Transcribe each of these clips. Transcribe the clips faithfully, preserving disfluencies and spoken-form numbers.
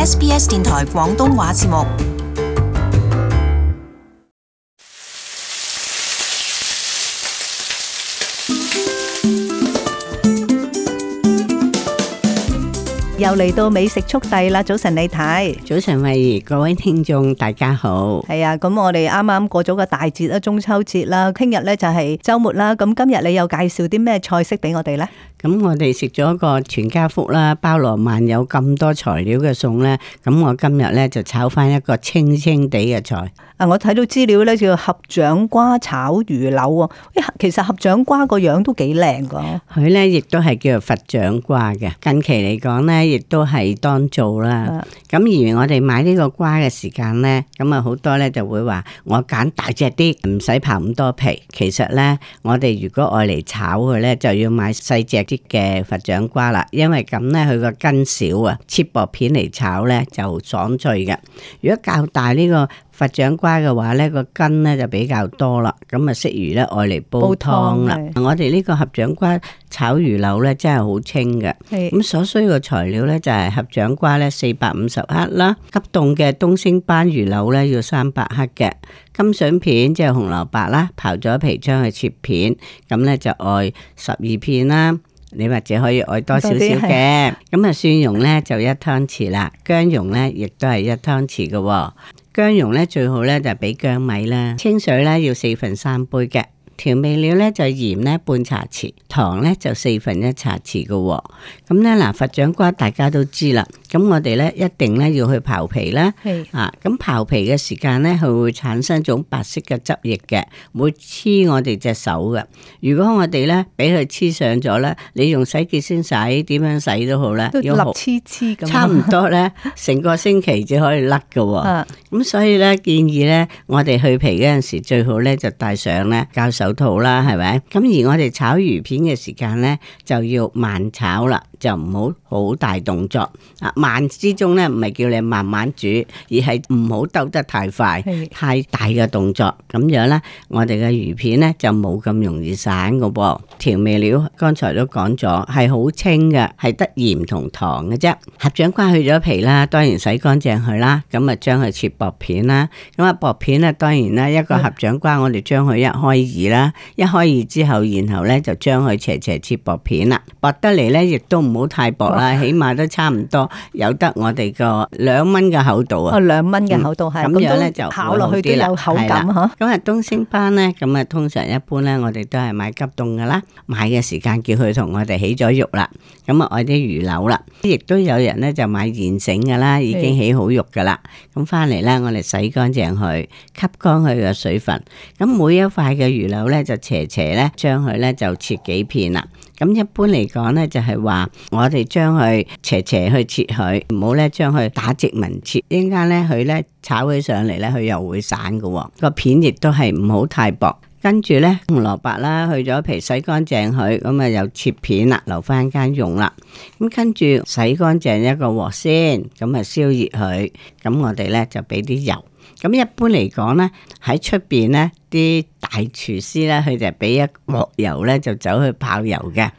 S B S 電台廣東話節目。又嚟到美食速遞啦！早晨李太，早晨慧兒，各位聽眾大家好。係啊，咁我哋啱啱過咗個大節啦，中秋節啦，聽日咧就係週末啦。咁今日你又介紹啲咩菜式俾我哋咧？咁我哋食咗個全家福啦，包羅萬有咁多材料嘅餸咧，咁我今日咧就炒翻一個清清地嘅菜。啊，我睇到資料咧叫合掌瓜炒魚柳喎。其實合掌瓜個樣都幾靚噶。佢咧亦都係叫做佛掌瓜嘅。近期嚟講咧，亦都係當造啦。咁、啊、而我哋買呢個瓜嘅時間咧，咁啊好多咧就會話我揀大隻啲，唔使刨咁多皮。其實咧，我哋如果愛嚟炒佢咧，就要買細隻啲嘅佛掌瓜啦，因為咁咧佢個根少啊，切薄片嚟炒咧就爽脆嘅。如果較大呢個佛掌瓜嘅話咧，個根咧就比較多啦，咁啊適宜咧愛嚟煲湯啦。我哋呢個合掌瓜炒魚柳咧真係好清嘅，咁所需嘅材料咧就係合掌瓜咧四百五十克啦，急凍嘅東星斑魚柳咧要三百克嘅，金筍片即係紅蘿蔔啦，刨咗皮將佢切片，咁咧就愛十二片啦。你或者可以愛多少少嘅，咁啊蒜蓉咧就一湯匙啦，薑蓉咧亦都係一湯匙嘅。薑蓉咧最好咧就俾薑米啦，清水咧要四分三杯嘅，調味料咧就鹽咧半茶匙，糖咧就四分一茶匙嘅。咁咧嗱，佛掌瓜大家都知啦，咁我哋咧一定咧要去刨皮啦，啊，咁刨皮嘅時間咧佢會產生一種白色嘅汁液嘅，會黐我哋隻手嘅。如果我哋咧俾佢黐上咗咧，你用洗潔精洗，點樣洗都好咧，都立黐黐咁，差唔多咧成個星期就可以甩嘅。咁、啊、所以咧建議咧，我哋去皮嗰陣時最好咧就戴上咧膠手套啦，係咪？咁而我哋炒魚片嘅時間咧就要慢炒啦，就唔好好大動作啊！慢之中咧唔係叫你慢慢煮，而係唔好兜得太快，太大嘅動作，咁樣咧我哋嘅魚片咧就冇咁容易散嘅噃。調味料剛才都講咗，係好清嘅，係得鹽同糖嘅啫。合掌瓜去咗皮啦，當然洗乾淨佢啦，咁啊將佢切薄片啦。咁啊薄片咧，當然啦，一個合掌瓜我哋將佢一開二啦，一開二之後，然後咧就將佢斜斜切薄片啦，薄得嚟咧亦都唔好太薄啦，起碼都差唔多有得我哋個兩蚊嘅厚度啊。哦，兩蚊嘅厚度係，咁樣咧就烤落去都有口感吓。咁啊東星斑咧，咁啊通常一般咧，我哋都係買急凍噶啦，買嘅時間叫佢同我哋起咗肉啦，咁啊愛啲魚柳啦，亦都有人咧就買現成噶啦，已經起好肉噶啦，咁翻嚟咧我哋洗乾淨佢，吸乾佢嘅水分，咁每一塊嘅魚柳咧就斜斜咧將佢咧就切幾片啦。咁一般嚟講咧，就係話我哋將佢斜斜去切佢，唔好咧將佢打直紋切。一陣間咧佢咧炒起上嚟咧，佢又會散嘅。個片亦都係唔好太薄。跟住咧紅蘿蔔啦，去咗皮洗乾淨佢，咁啊又切片啦，留翻間用啦。咁跟住洗乾淨一個鑊先，咁啊燒熱佢。咁我哋咧就俾啲油。咁一般嚟講咧，喺出邊咧啲大廚師咧，佢就俾一鑊油咧，就走去泡油嘅。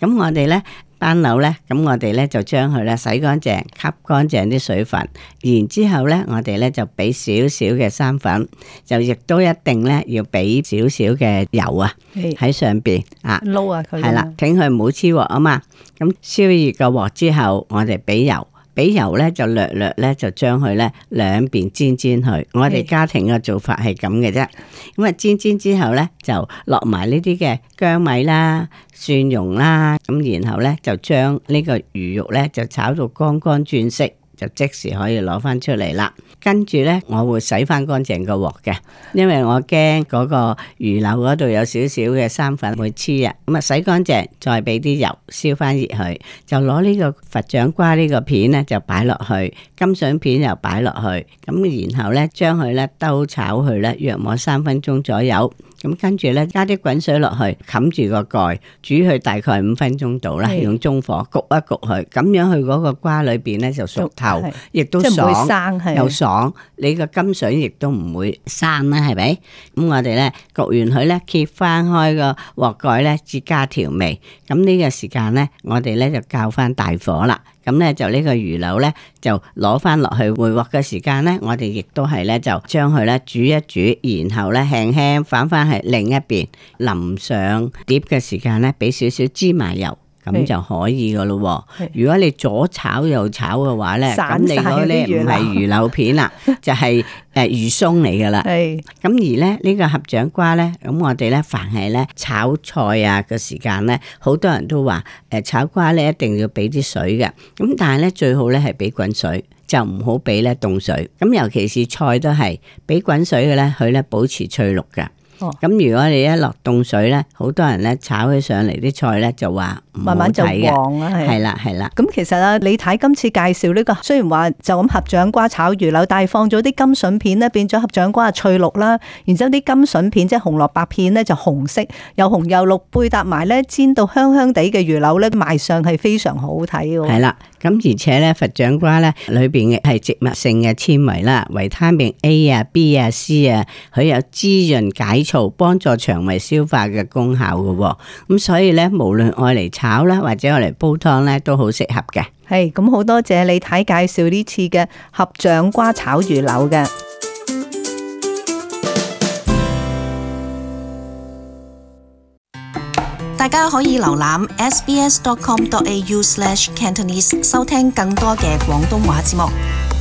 咁我哋咧班柳咧，咁我哋咧就將佢咧洗乾淨，吸乾淨啲水分，然之後咧我哋咧就俾少少嘅生粉，就亦都一定咧要俾少少嘅油啊喺上邊啊撈下佢，係啦，挺佢唔好黐鑊啊嘛。咁燒熱個鑊之後，我哋俾油。俾油咧就略略咧就將佢咧兩邊煎煎佢。我哋家庭嘅做法係咁嘅啫。咁啊煎煎之後咧就落埋呢啲嘅薑米啦、蒜蓉啦，咁然後咧就將呢個魚肉咧就炒到乾乾轉色，就即時可以攞翻出嚟啦。跟住咧我會洗翻乾淨個鑊嘅，因為我驚嗰個魚柳嗰度有少少嘅生粉會黐啊。咁啊洗乾淨，再俾啲油燒翻熱佢，就攞呢個佛掌瓜呢個片咧就擺落去，金筍片又擺落去，咁然後咧將佢咧兜炒佢咧約莫三分鐘左右。咁跟住咧加啲滾水落去，冚住個蓋，煮佢大概五分鐘度啦，用中火焗一焗佢，咁樣佢嗰個瓜裏邊咧就熟透，亦都爽，生又爽，你個金筍亦都唔會生啦，係咪？咁我哋咧焗完佢咧，揭翻開個鑊蓋咧，至加調味。咁呢個時間咧，我哋咧就較翻大火啦。咁咧就呢個魚柳咧就攞翻落去回鑊嘅時間咧，我哋亦都係咧就將佢咧煮一煮，然後咧輕輕反翻去另一邊，淋上碟嘅時間咧，俾少少芝麻油。咁就可以噶咯。如果你左炒右炒嘅話咧，咁你嗰啲唔係魚柳片啦，就係誒魚鬆嚟噶啦。咁而咧呢個合掌瓜咧，咁我哋咧凡係咧炒菜啊嘅時間咧，好多人都話誒炒瓜咧一定要俾啲水嘅。咁但係咧最好咧係俾滾水，就唔好俾咧凍水。咁尤其是菜都係俾滾水嘅咧，佢咧保持翠綠嘅。咁、哦、如果你一落凍水咧，好多人咧炒起上嚟啲菜咧就話慢慢就黃啦，係啦係啦。咁其實啊，李太今次介紹呢、這個，雖然話就咁合掌瓜炒魚柳，但係放咗啲甘筍片咧，變咗合掌瓜翠綠啦。然之後啲甘筍片即係紅蘿蔔片咧就紅色，又紅又綠，配搭埋咧煎到香香地嘅魚柳咧，賣相係非常好睇嘅。係啦，咁而且咧佛掌瓜咧裏邊嘅係植物性嘅纖維啦，維他命 A 啊、B 啊、C 啊，佢有滋潤解燥、幫助腸胃消化嘅功效嘅。咁所以咧，無論愛嚟炒啦，或者愛嚟煲湯咧，都好適合嘅。係咁，好多謝李太介紹呢次嘅合掌瓜炒魚柳嘅。大家可以瀏覽 s b s dot com dot a u slash cantonese 收聽更多嘅廣東話節目。